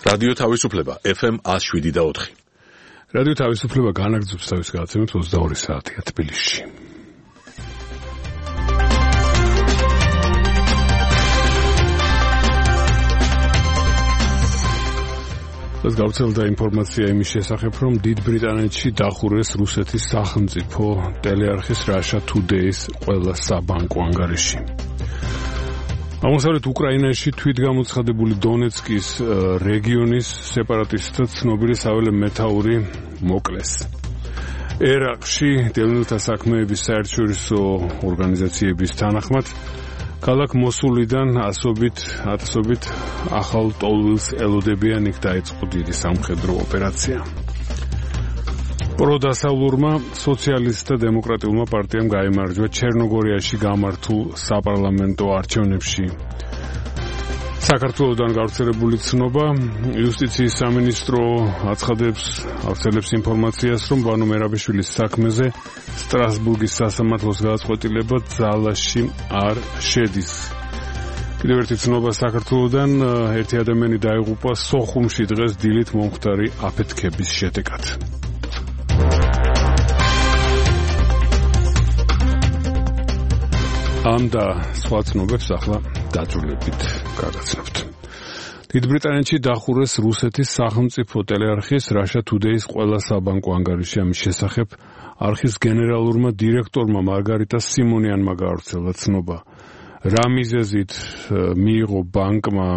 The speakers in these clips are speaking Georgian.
რადიო თავისუფლება FM 107.4. რადიო თავისუფლება განაგრძობს თავის გადაცემებს 22 საათია თბილისში. ეს გავრცელდა ინფორმაცია იმის შესახებ, რომ დიდ ბრიტანეთში დახურეს რუსეთის სახელმწიფო ტელეარხის Russia Today-ის ყველა საბანკო ანგარიში. აღმოსავლეთ უკრაინაში თვითგამოცხადებული დონეცკის რეგიონის სეპარატისტთა ცნობილი საველე მეთაური მოკლეს. ერაყში დევნილთა საქმეების საერთაშორისო ორგანიზაციების თანახმად ქალაქ მოსულიდან ათასობით ახალ ტოლვილს ელოდებიან, იქ დაიწყო დიდი სამხედრო ოპერაცია. პროდასავლურმა სოციალისტთა დემოკრატიულმა პარტიამ გაიმარჯვა ჩერნოგორიაში გამართულ საპარლამენტო არჩევნებში. საქართველოსთან გავრცელებული ცნობა, იუსტიციის სამინისტრო აცხადებს ინფორმაციას, რომ ბანო მერაბიშვილის საქმეზე სტრასბურგის სასამართლოს გადაწყვეტილება ძალაში არ შედის. კიდევ ერთი ცნობა საქართველოსთან, ერთი ადამიანი დაიღუპა სოხუმში დღეს დილით მომხდარი აფეთქების შედეგად. ამ და სხვა ცნობებს ახლა დაძულებით გადაცნობთ. დიდ ბრიტანეთში დახურეს რუსეთის სახელმწიფო ტელეარხის Russia Today-ის ყველა საბანკო ანგარიში. ამის შესახებ არხის გენერალურმა დირექტორმა მარგარიტა სიმონიანმა გავრცელა ცნობა. რა მიზეზით მიიღო ბანკმა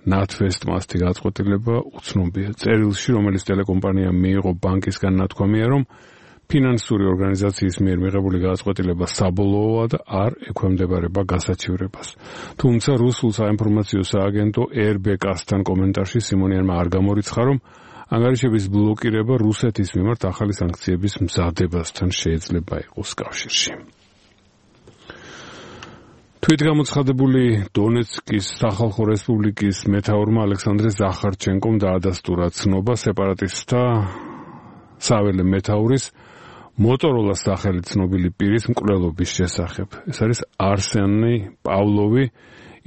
ნათვესტმა ასეთი გადაწყვეტილება უცნობია. წერილში, რომელიც ტელეკომპანიამ მიიღო ბანკისგან ნათქვამია, რომ ფინანსური ორგანიზაციის მიერ მიღებული გადაწყვეტილება საბოლოოა და არ ექვემდებარება გასაჩივრებას. თუმცა რუსულ საინფორმაციო სააგენტო RBK-სთან კომენტარში სიმონიანმა არ გამორიცხა, რომ ანგარიშების ბლოკირება რუსეთის მიმართ ახალი სანქციების მზადებასთან შეიძლება იყოს კავშირში. თვითგამოცხადებული დონეცკის სახალხო რესპუბლიკის მეთაურმა ალექსანდრე ზახარჩენკომ დაადასტურა ცნობა სეპარატისტთა საველე მეთაურის მოტოროლას სახელით ცნობილი პირის მკვლელობის შესახებ. ეს არის არსენი პავლოვი.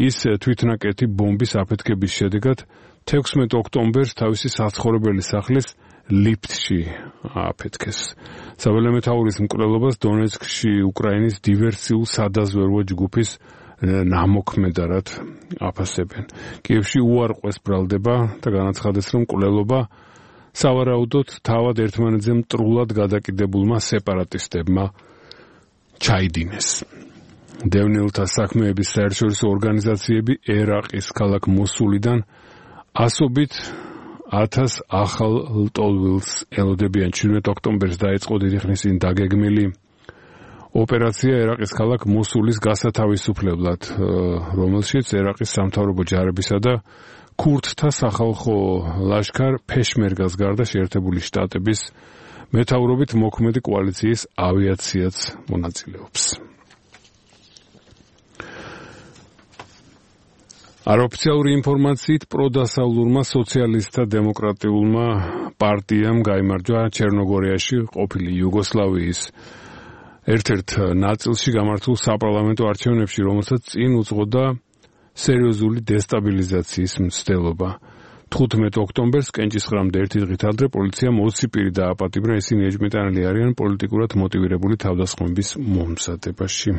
ის თვითნაკეთი ბომბის აფეთქების შედეგად 16 ოქტომბერს თავისი საცხოვრებელი სახლის ლიფტში აფეთქეს. საველე მეთაურის მკვლელობას დონეცკში უკრაინის დივერსიულ სადაზვერვო ჯგუფის ნამოქმედარად აფასებენ. კიევში უარყვეს ბრალდება და განაცხადეს, რომ მკვლელობა სავარაუდოდ თავად ერთმანეთზე მტრულად გადაკიდებულმა სეპარატისტებმა ჩაიდინეს. დევნილთა საქმეების საერთაშორისო ორგანიზაციები ერაყის ქალაქ მოსულიდან ასობით 1000 ახალ ტოლვილს ელოდებიან. 17 ოქტომბერს დაიწყო დიდი ხნის წინ დაგეგმილი ოპერაცია ერაყის ქალაქ მოსულის გასათავისუფლებლად, რომელშიც ერაყის სამთავრობო ჯარებისა და ქურთთა სახალხო ლაშქარ ფეშმერგას გარდა შეერთებული შტატების მეთაურობით მოქმედი კოალიციის ავიაციაც მონაწილეობს. არაოფიციალური ინფორმაციით პროდასავლურმა სოციალისტთა დემოკრატიულმა პარტიამ გაიმარჯვა ჩერნოგორიაში ყოფილი იუგოსლავიის ერთ-ერთ ნაწილში გამართულ საპარლამენტო არჩევნებში, რომელსაც წინ უძღოდა სერიოზული დესტაბილიზაციის მცდელობა. 15 ოქტომბერს კენჭისყრამდე ერთი დღით ადრე პოლიციამ 20 პირი დააპატიმრა, ისინი ეჭვმიტანილი არიან პოლიტიკურად მოტივირებული თავდასხმების მომზადებაში.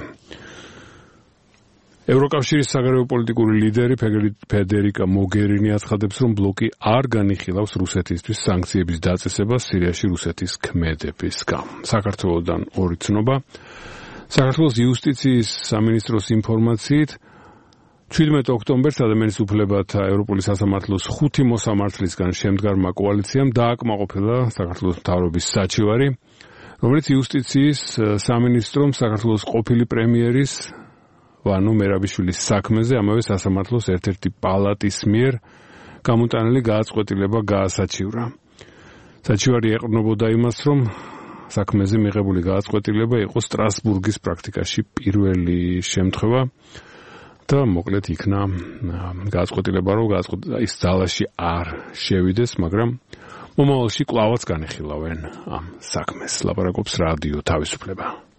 ევროკავშირის საგარეო პოლიტიკური ლიდერი ფედერიკა მოგერინი აცხადებს, რომ ბლოკი არ განიხილავს რუსეთისთვის სანქციების დაწესებას სირიაში რუსეთის ქმედების გამო. საქართველოსთან ორი ცნობა. საქართველოს იუსტიციის სამინისტროს ინფორმაციით 17 ოქტომბერს ადამიანის უფლებათა ევროპული სასამართლოს 5 მოსამართლისგან შემდგარმა კოალიციამ დააკმაყოფილა საქართველოს მთავრობის საჩივარი, რომელიც იუსტიციის სამინისტრომ საქართველოს ყოფილი პრემიერის ბანო მერაბიშვილის საქმეზე ამავე სასამართლოს ერთ-ერთი პალატის მიერ გამოტანილი გადაწყვეტილება გაასაჩივრა. საჩივარი ეყრდნობოდა იმას, რომ საქმეზე მიღებული გადაწყვეტილება იყო სტრასბურგის პრაქტიკაში პირველი შემთხვევა და მოკლედ იქნა გადაწყვეტილება, რომ ის ძალაში არ შევიდეს, მაგრამ მომავალში კვლავაც განიხილავენ ამ საქმეს. ლაპარაკობს რადიო თავისუფლება.